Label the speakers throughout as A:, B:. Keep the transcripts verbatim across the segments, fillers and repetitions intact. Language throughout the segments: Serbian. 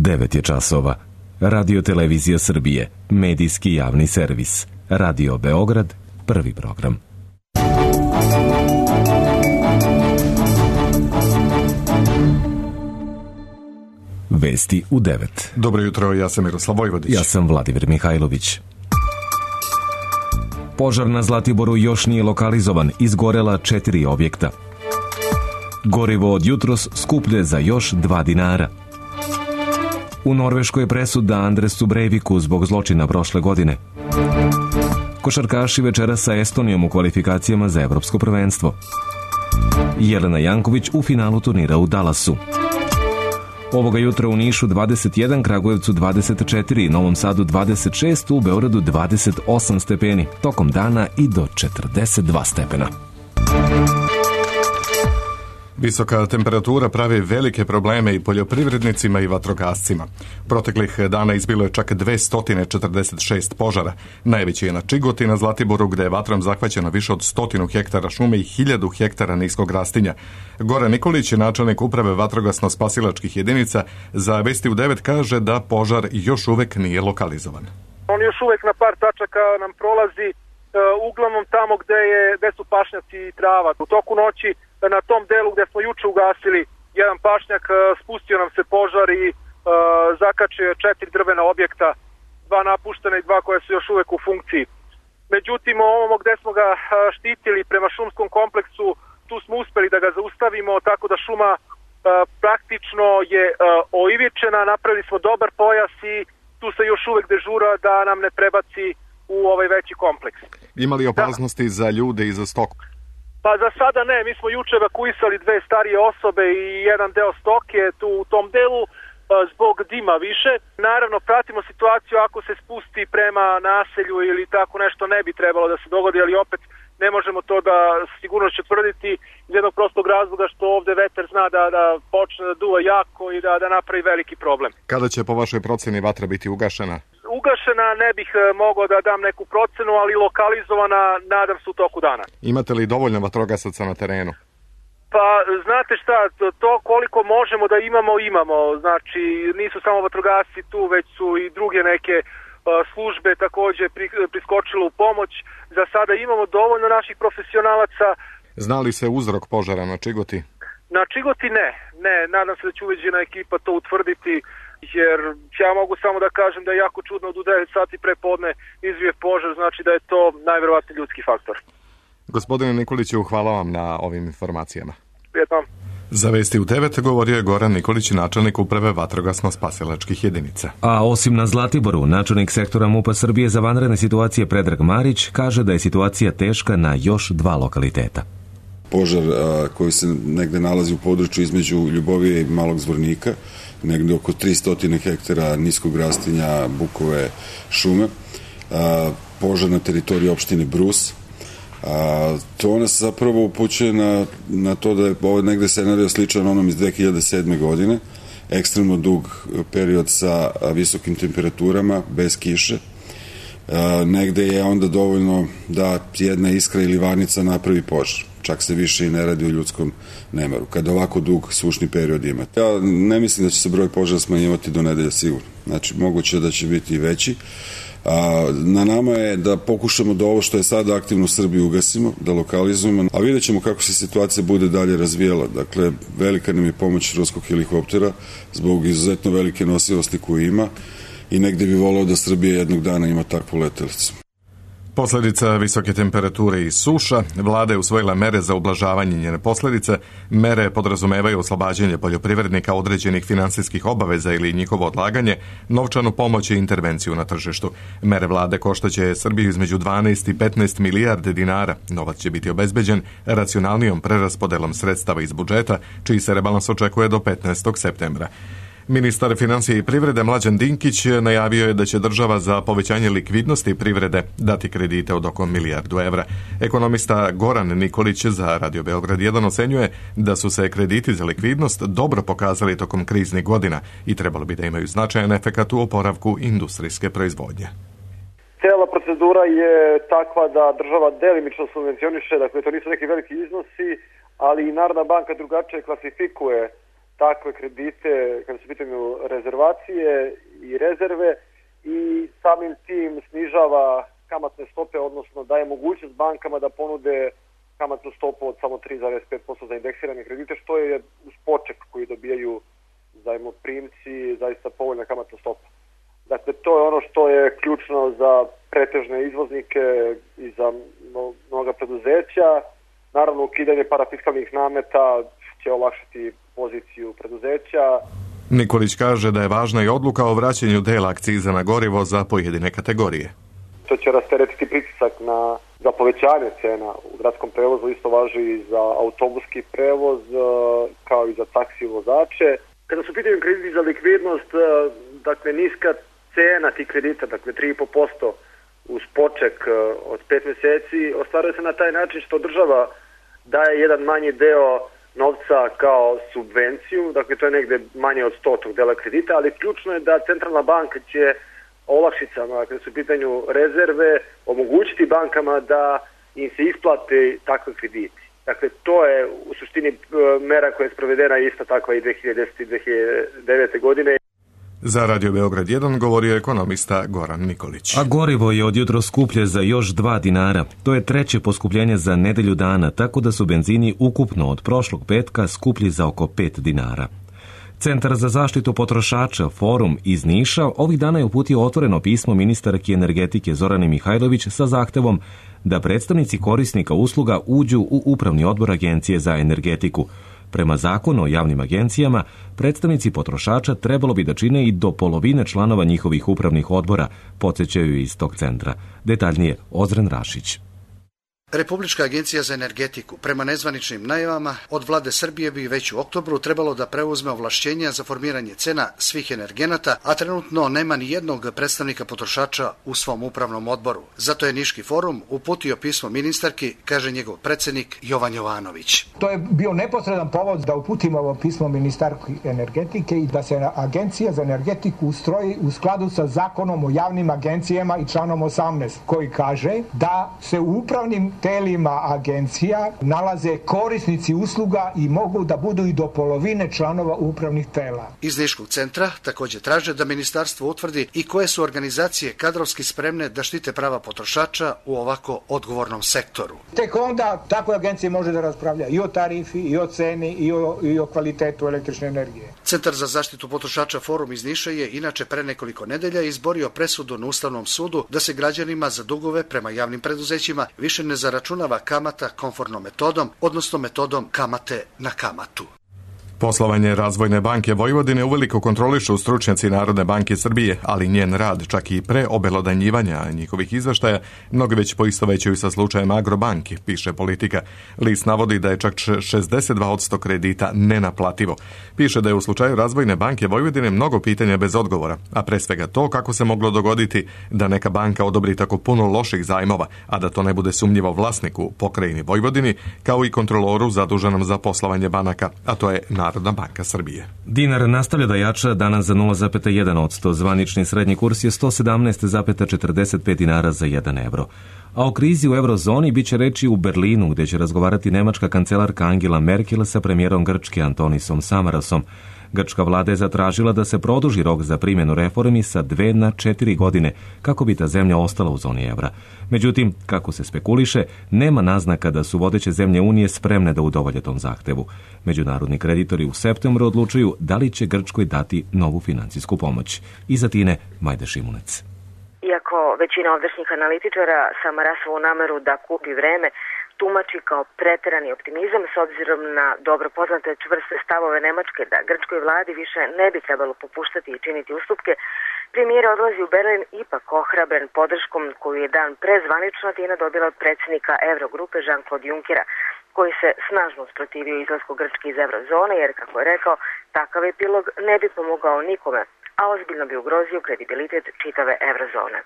A: devet je časova. Radio Televizija Srbije, medijski javni servis. Radio Beograd, prvi program. Vesti u devet.
B: Dobro jutro, ja sam Miroslav Vojvodić.
A: Ja sam Vladimir Mihajlović. Požar na Zlatiboru još nije lokalizovan, izgorela četiri objekta. Gorivo od jutros skuplje za još dva dinara. U Norveškoj je presuda Andresu Breiviku zbog zločina prošle godine. Košarkaši večera sa Estonijom u kvalifikacijama za evropsko prvenstvo. Jelena Janković u finalu turnira u Dallasu. Ovoga jutra u Nišu dvadeset jedan, Kragujevcu dvadeset četiri, Novom Sadu dvadeset šest, u Beogradu dvadeset osam stepeni. Tokom dana i do četrdeset dva stepena.
B: Visoka temperatura pravi velike probleme i poljoprivrednicima i vatrogascima. Proteklih dana izbilo je čak dvesta četrdeset šest požara. Najveći je na Čigoti na Zlatiboru, gde je vatrom zahvaćeno više od stotinu hektara šume i hiljadu hektara niskog rastinja. Goran Nikolić, načelnik uprave vatrogasno-spasilačkih jedinica, za Vesti u devet kaže da požar još uvek nije lokalizovan.
C: On još uvek na par tačaka nam prolazi, uglavnom tamo gde, je, gde su pašnjaci i trava. U toku noći na tom delu gde smo juče ugasili jedan pašnjak, spustio nam se požar i uh, zakačio četiri drvena objekta, dva napuštena i dva koja su još uvek u funkciji. Međutim, ovamo gde smo ga štitili prema šumskom kompleksu, tu smo uspeli da ga zaustavimo, tako da šuma uh, praktično je uh, oivičena, napravili smo dobar pojas i tu se još uvek dežura da nam ne prebaci u ovaj veći kompleks.
B: Ima li opasnosti da. za ljude i za stoku?
C: Pa za sada ne, mi smo juče evakuisali dve starije osobe i jedan deo stoke tu u tom delu zbog dima više. Naravno, pratimo situaciju ako se spusti prema naselju ili tako nešto ne bi trebalo da se dogodi, ali opet ne možemo to da sigurno će tvrditi iz jednog prostog razloga što ovde vetar zna da, da počne da duva jako i da, da napravi veliki problem.
B: Kada će po vašoj proceni vatra biti ugašena?
C: Ugašena ne bih mogao da dam neku procenu, ali lokalizovana nadam se u toku dana.
B: Imate li dovoljno vatrogasaca na terenu?
C: Pa znate šta, to koliko možemo da imamo, imamo. Znači nisu samo vatrogasci tu, već su i druge neke službe takođe priskočile u pomoć. Za sada imamo dovoljno naših profesionalaca.
B: Zna li se uzrok požara na Čigoti?
C: Na Čigoti ne, ne, nadam se da će uveđena ekipa to utvrditi, jer ja mogu samo da kažem da je jako čudno da u devet sati pre podne izbije požar, znači da je to najverovatniji ljudski faktor.
B: Gospodine Nikoliću, hvala vam na ovim informacijama.
C: Prijetno.
B: Za Vesti u devet govorio je Goran Nikolić, načelnik uprave vatrogasno-spasilačkih jedinica.
A: A osim na Zlatiboru, načelnik sektora MUP-a Srbije za vanredne situacije Predrag Marić kaže da je situacija teška na još dva lokaliteta.
D: Požar a, koji se negde nalazi u području između Ljubovije i Malog Zvornika, negde oko tristo hektara niskog rastinja bukove šume, a, požar na teritoriji opštine Brus. A, to nas zapravo upućuje na, na to da je ovo negde scenario sličan onom iz dve hiljade sedme. godine, ekstremno dug period sa visokim temperaturama, bez kiše. A, negde je onda dovoljno da jedna iskra ili varnica napravi požar. Čak se više i ne radi o ljudskom nemaru, kada ovako dug sušni period imate. Ja ne mislim da će se broj požara smanjivati do nedelja sigurno. Znači, moguće da će biti i veći. A, na nama je da pokušamo da ovo što je sada aktivno u Srbiji ugasimo, da lokalizujemo, a vidjet ćemo kako se situacija bude dalje razvijela. Dakle, velika nam je pomoć ruskog helikoptera zbog izuzetno velike nosivosti koju ima i negde bi volao da Srbija jednog dana ima takvu letelicu.
B: Posledica visoke temperature i suša, vlada je usvojila mere za ublažavanje njene posledice. Mere podrazumevaju oslobađanje poljoprivrednika određenih finansijskih obaveza ili njihovo odlaganje, novčanu pomoć i intervenciju na tržištu. Mere vlade koštaće Srbiju između dvanaest i petnaest milijarde dinara. Novac će biti obezbeđen racionalnijom preraspodelom sredstava iz budžeta, čiji se rebalans očekuje do petnaestog septembra. Ministar financija i privrede Mlađan Dinkić najavio je da će država za povećanje likvidnosti privrede dati kredite od oko milijardu evra. Ekonomista Goran Nikolić za Radio Beograd jedan ocenjuje da su se krediti za likvidnost dobro pokazali tokom kriznih godina i trebalo bi da imaju značajan efekat u oporavku industrijske proizvodnje.
E: Cijela procedura je takva da država delimično subvencioniše, dakle to nisu neki veliki iznosi, ali i Narodna banka drugačije klasifikuje takve kredite kada su pitanju rezervacije i rezerve i samim tim snižava kamatne stope, odnosno daje mogućnost bankama da ponude kamatnu stopu od samo tri zarez pet posto za indeksirane kredite, što je uz poček koji dobijaju zajmoprimci zaista povoljna kamatna stopa. Dakle, to je ono što je ključno za pretežne izvoznike i za mnoga preduzeća. Naravno, ukidanje parafiskalnih nameta će olakšati poziciju preduzeća.
B: Nikolić kaže da je važna i odluka o vraćanju dela akciza na gorivo za pojedine kategorije.
E: To će rasteretiti pritisak na, za povećanje cena u gradskom prevozu, isto važi i za autobuski prevoz, kao i za taksi vozače. Kada su pitanju krediti za likvidnost, dakle, niska cena tih kredita, dakle tri i po posto uz poček od pet meseci, ostvaruje se na taj način što država daje jedan manji deo novca kao subvenciju, dakle to je negde manje od sto tog dela kredita, ali ključno je da centralna banka će olakšicama, dakle su u pitanju rezerve, omogućiti bankama da im se isplate takve krediti. Dakle, to je u suštini mera koja je sprovedena ista takva i dve hiljade desete i dve hiljade devete. godine.
B: Za Radio Beograd jedan govorio ekonomista Goran Nikolić.
A: A gorivo je od jutro skuplje za još dva dinara. To je treće poskupljenje za nedelju dana, tako da su benzini ukupno od prošlog petka skuplji za oko pet dinara. Centar za zaštitu potrošača, Forum iz Niša, ovih dana je uputio otvoreno pismo ministarki energetike Zorane Mihajlović sa zahtevom da predstavnici korisnika usluga uđu u upravni odbor Agencije za energetiku. Prema zakonu o javnim agencijama, predstavnici potrošača trebalo bi da čine i do polovine članova njihovih upravnih odbora, podsjećaju iz tog centra. Detaljnije Ozren Rašić.
F: Republička agencija za energetiku prema nezvaničnim najavama od vlade Srbije bi već u oktobru trebalo da preuzme ovlašćenja za formiranje cena svih energenata, a trenutno nema ni jednog predstavnika potrošača u svom upravnom odboru. Zato je Niški forum uputio pismo ministarki, kaže njegov predsednik Jovan Jovanović.
G: To je bio neposredan povod da uputimo ovo pismo ministarki energetike i da se agencija za energetiku ustroji u skladu sa zakonom o javnim agencijama i članom osamnaest, koji kaže da se u upravnim telima agencija nalaze korisnici usluga i mogu da budu i do polovine članova upravnih tela.
F: Iz Niškog centra također traže da ministarstvo utvrdi i koje su organizacije kadrovski spremne da štite prava potrošača u ovako odgovornom sektoru.
G: Tek onda takve agencije može da raspravlja i o tarifi, i o ceni, i o, i o kvalitetu električne energije.
F: Centar za zaštitu potrošača Forum iz Niša je inače pre nekoliko nedelja izborio presudu na Ustavnom sudu da se građanima za dugove prema javnim preduzećima više ne zaračunava kamata komfortnom metodom, odnosno metodom kamate na kamatu.
B: Poslovanje Razvojne banke Vojvodine uveliko kontrolišu stručnjaci Narodne banke Srbije, ali njen rad, čak i pre obelodanjivanja njihovih izveštaja, mnogi već poistovećuju sa slučajem Agrobanki, piše Politika. List navodi da je čak šezdeset dva posto kredita nenaplativo. Piše da je u slučaju Razvojne banke Vojvodine mnogo pitanja bez odgovora, a pre svega to kako se moglo dogoditi da neka banka odobri tako puno loših zajmova, a da to ne bude sumnjivo vlasniku pokrajini Vojvodini, kao i kontroloru zaduženom za poslovanje banaka, a to je Narodna banka Srbije.
A: Dinar nastavlja da jača danas za nula zarez jedan posto. Zvanični srednji kurs je sto sedamnaest zarez četrdeset pet dinara za jedan evro. A o krizi u eurozoni biće reči u Berlinu, gdje će razgovarati nemačka kancelarka Angela Merkel sa premijerom Grčke Antonisom Samarasom. Grčka vlada je zatražila da se produži rok za primjenu reformi sa dve na četiri godine, kako bi ta zemlja ostala u zoni evra. Međutim, kako se spekuliše, nema naznaka da su vodeće zemlje Unije spremne da udovolje tom zahtevu. Međunarodni kreditori u septembru odlučuju da li će Grčkoj dati novu financijsku pomoć. Iz Atine, Majda Šimunec.
H: Iako većina ovdašnjih analitičara Samarasovu nameru da kupi vreme tumači kao preterani optimizam s obzirom na dobro poznate čvrste stavove Nemačke da grčkoj vladi više ne bi trebalo popuštati i činiti ustupke, premijer odlazi u Berlin ipak ohrabren podrškom koju je dan pre zvanično Atina dobila od predsjednika Eurogrupe Jean-Claude Junckera, koji se snažno usprotivio izlasku Grčke iz eurozone jer, kako je rekao, takav epilog ne bi pomogao nikome, a ozbiljno bi ugrozio kredibilitet čitave eurozone.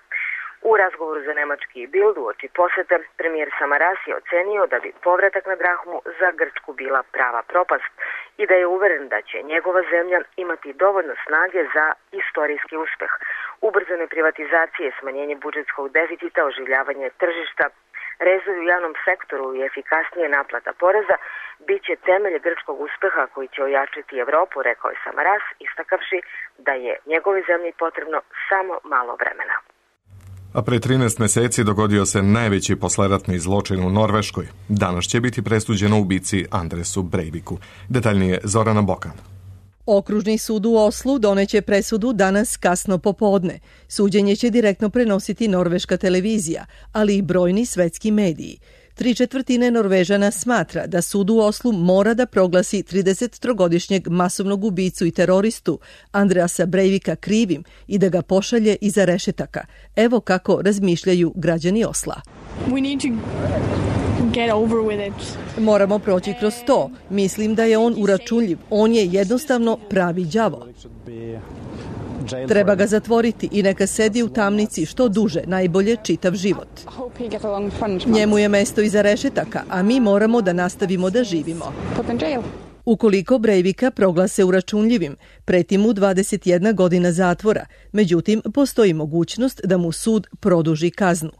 H: U razgovoru za nemački Bild uoči posete, premijer Samaras je ocenio da bi povratak na drahmu za Grčku bila prava propast i da je uveren da će njegova zemlja imati dovoljno snage za istorijski uspeh, ubrzane privatizacije, smanjenje budžetskog deficita, oživljavanje tržišta, Rezovi u javnom sektoru i efikasnije naplata poreza bit će temelj grčkog uspeha koji će ojačati Evropu, rekao je Samaras, istakavši da je njegovoj zemlji potrebno samo malo vremena.
B: A pre trinaest meseci dogodio se najveći posleratni zločin u Norveškoj. Danas će biti presuđeno ubici Andresu Breiviku. Detaljnije Zorana Bokan.
I: Okružni sud u Oslu doneće presudu danas kasno popodne. Suđenje će direktno prenositi norveška televizija, ali i brojni svetski mediji. Tri četvrtine Norvežana smatra da sud u Oslu mora da proglasi tridesettrogodišnjeg masovnog ubicu i teroristu Andreasa Breivika krivim i da ga pošalje iza rešetaka. Evo kako razmišljaju građani Osla.
J: We need to get over with it.
I: Moramo proći kroz to. Mislim da je on uračunljiv. On je jednostavno pravi đavo. Treba ga zatvoriti i neka sedi u tamnici što duže, najbolje čitav život. Njemu je mesto iza rešetaka, a mi moramo da nastavimo da živimo. Ukoliko Breivika proglase uračunljivim, preti mu dvadeset jedna godina zatvora, međutim postoji mogućnost da mu sud produži kaznu.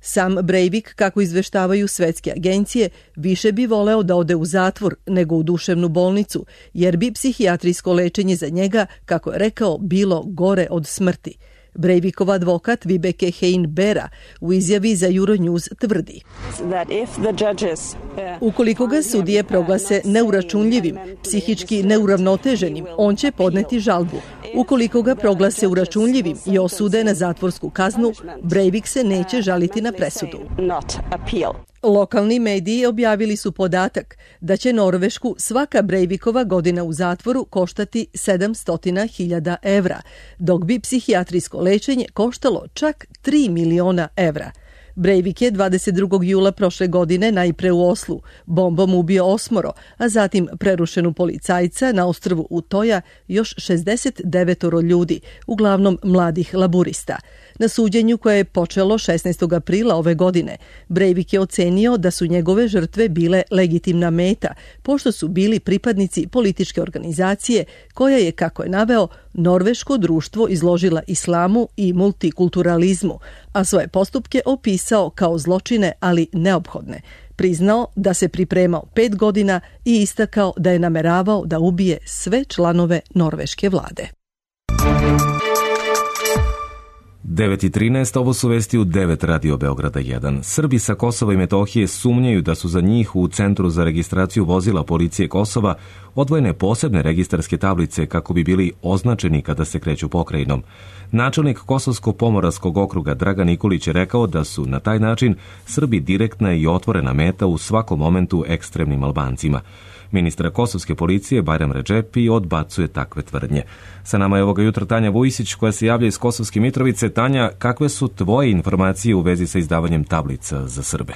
I: Sam Breivik, kako izveštavaju svetske agencije, više bi voleo da ode u zatvor nego u duševnu bolnicu, jer bi psihijatrijsko lečenje za njega, kako je rekao, bilo gore od smrti. Breivikov advokat Vibeke Hein-Bera u izjavi za Euronews tvrdi: ukoliko ga sudije proglase neuračunljivim, psihički neuravnoteženim, on će podneti žalbu. Ukoliko ga proglase uračunljivim i osude na zatvorsku kaznu, Breivik se neće žaliti na presudu. Lokalni mediji objavili su podatak da će Norvešku svaka Breivikova godina u zatvoru koštati sedamsto hiljada evra, dok bi psihijatrijsko lečenje koštalo čak tri miliona evra. Breivik je dvadeset drugog jula prošle godine najpre u Oslu bombom ubio osmoro, a zatim prerušenu policajca na ostrvu Utoja još šezdeset devet ljudi, uglavnom mladih laburista. Na suđenju koje je počelo šesnaestog aprila ove godine, Breivik je ocenio da su njegove žrtve bile legitimna meta, pošto su bili pripadnici političke organizacije koja je, kako je naveo, norveško društvo izložila islamu i multikulturalizmu, a svoje postupke opisao kao zločine, ali neophodne. Priznao da se pripremao pet godina i istakao da je nameravao da ubije sve članove norveške vlade.
A: devet i trinaest, ovo su vesti u devet Radio Beograda jedan. Srbi sa Kosova i Metohije sumnjaju da su za njih u Centru za registraciju vozila policije Kosova odvojene posebne registarske tablice kako bi bili označeni kada se kreću pokrajinom. Načelnik Kosovsko-Pomoravskog okruga Dragan Nikolić je rekao da su na taj način Srbi direktna i otvorena meta u svakom momentu ekstremnim Albancima. Ministra kosovske policije Bajram Redžepi odbacuje takve tvrdnje. Sa nama je ovoga jutra Tanja Vujisić koja se javlja iz Kosovske Mitrovice. Tanja, kakve su tvoje informacije u vezi sa izdavanjem tablica za Srbe?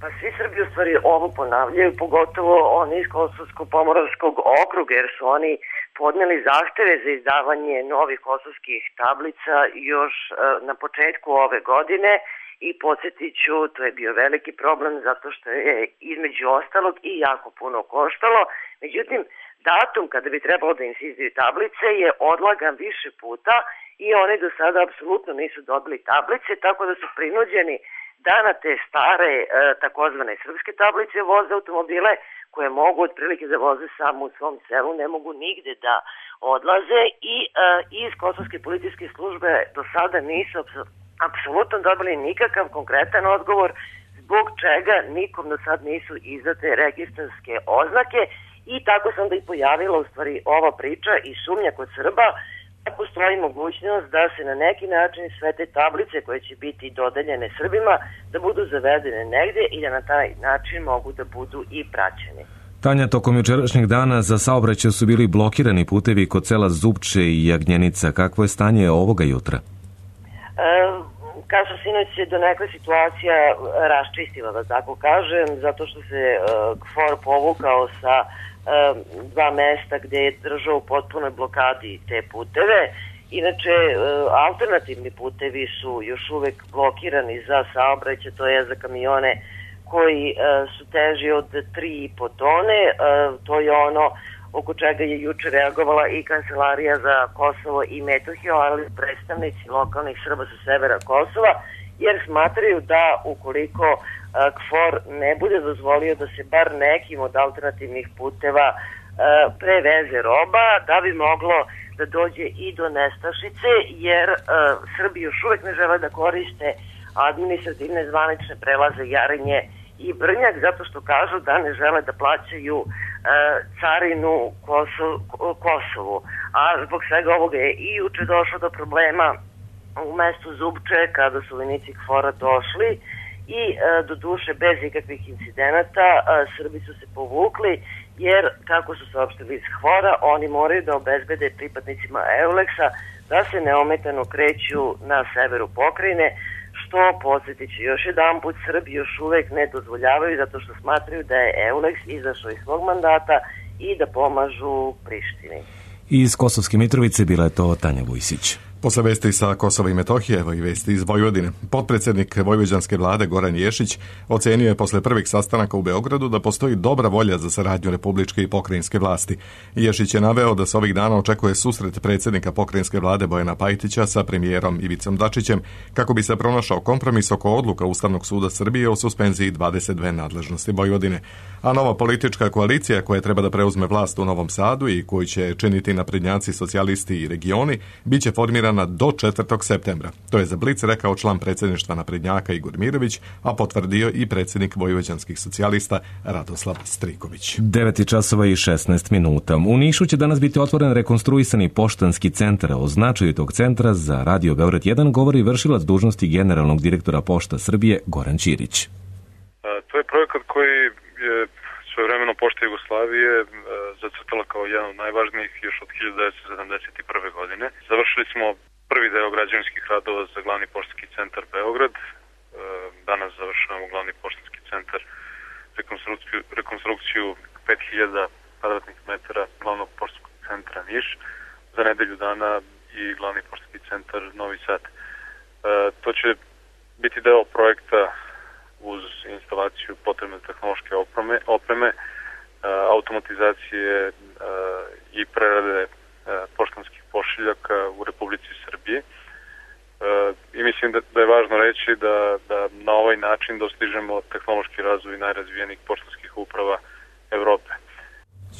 K: Pa svi Srbi u stvari ovo ponavljaju, pogotovo oni iz Kosovsko-Pomoravskog okruga, jer su oni podneli zahteve za izdavanje novih kosovskih tablica još na početku ove godine. I podsjetit ću, to je bio veliki problem zato što je između ostalog i jako puno koštalo. Međutim, datum kada bi trebalo da im se izdaju tablice je odlagan više puta i oni do sada apsolutno nisu dobili tablice, tako da su prinuđeni da na te stare takozvane srpske tablice voze automobile koje mogu otprilike da voze samo u svom selu, ne mogu nigde da odlaze i iz Kosovske policijske službe do sada nisu apsolutno dobili nikakav konkretan odgovor zbog čega nikom do sad nisu izdate registarske oznake i tako se onda i pojavila u stvari ova priča i sumnja kod Srba da postoji mogućnost da se na neki način sve te tablice koje će biti dodeljene Srbima da budu zavedene negde i da na taj način mogu da budu i praćeni.
A: Tanja, tokom jučerašnjeg dana za saobraćaj su bili blokirani putevi kod sela Zupče i Jagnjenica. Kakvo je stanje ovoga jutra?
K: Kao što sinoć se do neka situacija raščistila, da tako kažem, zato što se uh, KFOR povukao sa uh, dva mesta gde je držao u potpunoj blokadi te puteve. Inače, uh, alternativni putevi su još uvek blokirani za saobraćaj, to je za kamione koji uh, su teži od tri i po tone, uh, to je ono oko čega je juče reagovala i Kancelarija za Kosovo i Metohiju, ali predstavnici lokalnih Srba sa severa Kosova jer smatraju da ukoliko K F O R ne bude dozvolio da se bar nekim od alternativnih puteva preveze roba, da bi moglo da dođe i do nestašice, jer Srbi još uvek ne žele da koriste administrativne zvanične prelaze Jarinje i Brnjak, zato što kažu da ne žele da plaćaju e, carinu Kosov, Kosovu. A zbog svega ovoga je i juče došlo do problema u mestu Zubče kada su vojnici K F O R-a došli i e, do duše bez ikakvih incidenata e, Srbi su se povukli, jer kako su saopštili iz K F O R-a, oni moraju da obezbede pripadnicima Euleksa da se neometano kreću na severu pokrajine, što, podsjetit ću još jedan put, Srbi još uvek ne dozvoljavaju zato što smatraju da je Euleks izašao iz svog mandata i da pomažu Prištini.
A: Iz Kosovske Mitrovice bila je to Tanja Vujsić.
B: Posle vesti sa Kosova i Metohije, evo i vesti iz Vojvodine. Potpredsjednik vojvođanske vlade Goran Ješić ocenio je posle prvih sastanaka u Beogradu da postoji dobra volja za saradnju republičke i pokrajinske vlasti. Ješić je naveo da se ovih dana očekuje susret predsjednika pokrajinske vlade Bojana Pajtića sa premijerom Ivicom Dačićem kako bi se pronašao kompromis oko odluka Ustavnog suda Srbije o suspenziji dvadeset dve nadležnosti Vojvodine. A nova politička koalicija koja treba da preuzme vlast u Novom Sadu i koju će činiti naprednjaci, socijalisti i regioni, bit će formirana do četvrtog septembra. To je za Blic rekao član predsjedništva naprednjaka Igor Mirović, a potvrdio i predsjednik vojvođanskih socijalista Radoslav Striković.
A: devet časova i šesnaest minuta. U Nišu će danas biti otvoren rekonstruisani poštanski centar. O značaju tog centra za Radio Beograd jedan govori vršilac dužnosti generalnog direktora Pošta Srbije Goran Ćirić.
L: To je projekat koji je svojevremeno Pošta Jugoslavije zacrtala kao jedan od najvažnijih još od hiljadu devetsto sedamdeset prve. godine. Završili smo prvi deo građevinskih radova za glavni poštanski centar Beograd. Danas završavamo glavni poštanski centar, rekonstrukciju, rekonstrukciju pet hiljada kvadratnih metara glavnog poštanskog centra Niš, za nedelju dana i glavni poštanski centar Novi Sad. To će biti deo projekta uz instalaciju potrebne tehnološke opreme, opreme automatizacije i prerade poštanskih pošiljaka u Republici Srbiji. I mislim da, da je važno reći da, da na ovaj način dostižemo tehnološki razvoj najrazvijenijih poštanskih uprava Evrope.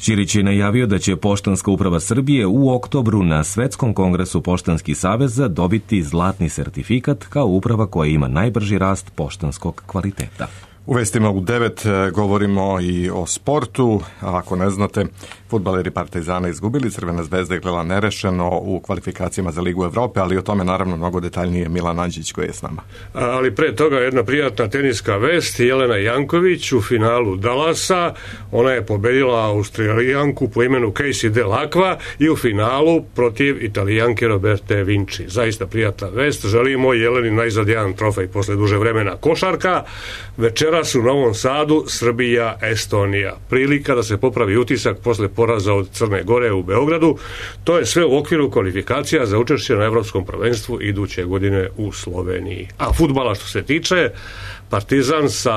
A: Ćirić je najavio da će Poštanska uprava Srbije u oktobru na Svetskom kongresu Poštanskih saveza dobiti zlatni sertifikat kao uprava koja ima najbrži rast poštanskog kvaliteta.
B: U vestima u devet govorimo i o sportu. A ako ne znate, fudbaleri Partizana izgubili, Crvena zvezda je gledala nerešeno u kvalifikacijama za Ligu Evrope, ali o tome naravno mnogo detaljnije Milan Anđić koji je s nama.
M: Ali pre toga jedna prijatna teniska vest. Jelena Janković u finalu Dallasa, ona je pobedila Australijanku po imenu Casey Dell'Acqua i u finalu protiv Italijanke Roberte Vinci. Zaista prijatna vest. Želimo Jeleni najzad jedan trofej posle duže vremena. Košarka, večeras u Novom Sadu Srbija, Estonija. Prilika da se popravi utisak posle poraza od Crne Gore u Beogradu. To je sve u okviru kvalifikacija za učešće na Evropskom prvenstvu iduće godine u Sloveniji. A fudbala što se tiče, Partizan sa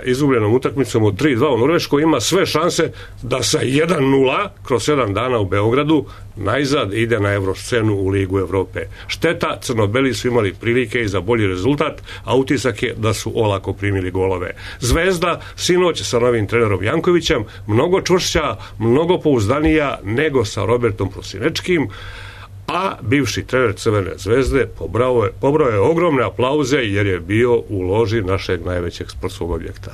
M: izgubljenom utakmicom od tri dva u Norveškoj ima sve šanse da sa jedan nula kroz sedam dana u Beogradu najzad ide na evroscenu u Ligu Evrope. Šteta, crnobeli su imali prilike i za bolji rezultat, a utisak je da su olako primili golove. Zvezda sinoć sa novim trenerom Jankovićem mnogo čvršća, mnogo pouzdanija nego sa Robertom Prosinečkim, a bivši trener Crvene zvezde pobrao je, pobrao je ogromne aplauze jer je bio u loži našeg najvećeg sportskog objekta.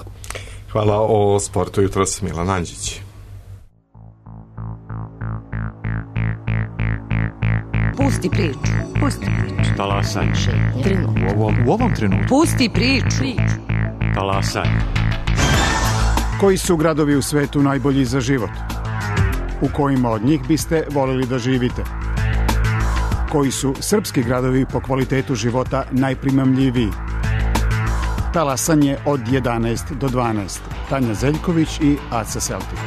B: Hvala. O sportu jutros Milan Anđić.
N: Pusti priču. Pusti priču.
O: Talasaj.
N: Trenutno.
O: U ovom, u ovom trenutku.
N: Pusti priču.
O: Talasaj.
P: Koji su gradovi u svetu najbolji za život? U kojima od njih biste voljeli da živite? Koji su srpski gradovi po kvalitetu života najprimamljiviji? Talasanje od jedanaest do dvanaest. Tanja Zeljković i Aca Seltik.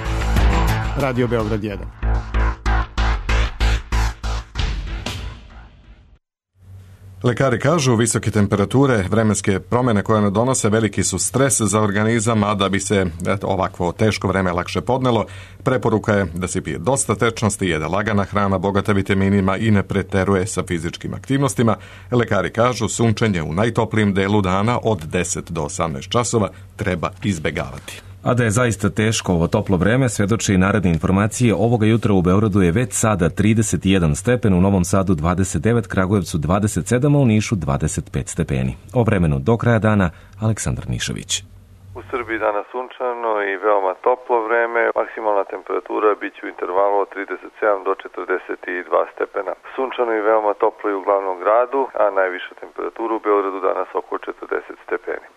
P: Radio Beograd jedan.
B: Lekari kažu, visoke temperature, vremenske promjene koje ne donose veliki su stres za organizam, a da bi se eto, ovakvo teško vreme lakše podnelo, preporuka je da se pije dosta tečnosti, jede lagana hrana bogata vitaminima i ne preteruje sa fizičkim aktivnostima. Lekari kažu, sunčanje u najtoplijim delu dana od deset do osamnaest časova treba izbegavati.
A: A da je zaista teško ovo toplo vreme, svedoče i naredne informacije. Ovoga jutra u Beogradu je već sada trideset jedan stepen, u Novom Sadu dvadeset devet, Kragujevcu dvadeset sedam, a u Nišu dvadeset pet stepeni. O vremenu do kraja dana, Aleksandar Nišović.
Q: U Srbiji danas sunčano i veoma toplo vreme, maksimalna temperatura biće u intervalu od trideset sedam do četrdeset dva stepena. Sunčano i veoma toplo i u glavnom gradu, a najviša temperatura u Beogradu danas oko četrdeset stepeni.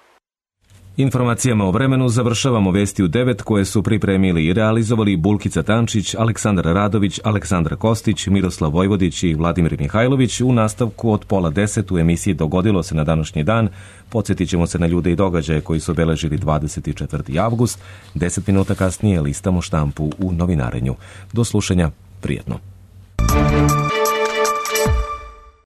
A: Informacijama o vremenu završavamo vesti u devet koje su pripremili i realizovali Bulkica Tančić, Aleksandar Radović, Aleksandra Kostić, Miroslav Vojvodić i Vladimir Mihajlović. U nastavku od pola deset u emisiji Dogodilo se na današnji dan. Podsjetit ćemo se na ljude i događaje koji su obeležili dvadeset četvrti avgust. Deset minuta kasnije listamo štampu u novinarenju. Do slušanja, prijetno.